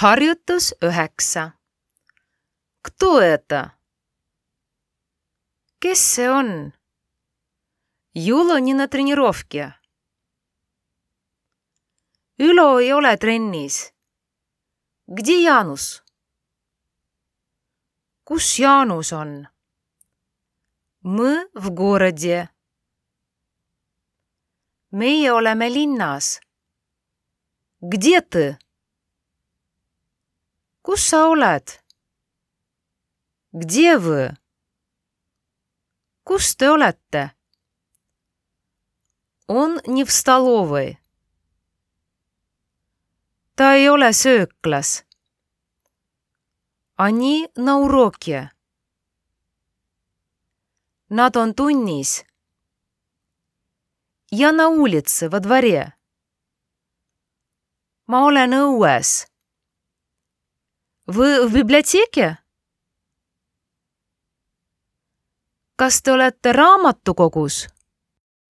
Harjutus 9. Кто это? Kes see on? Юла не на тренировке. Ülo ei ole trennis. Где Jaanus? Kus Jaanus on? Мы в городе. Meie oleme linnas. Где ты? Kus sa oled? Где вы? Kus te olete? Он не в столовой. Ta ei ole sööklas. Они на уроке. Nad on tunnis. Я на улице, во дворе. Ma olen õues. Вы в библиотеке? Kas te olete raamatukogus?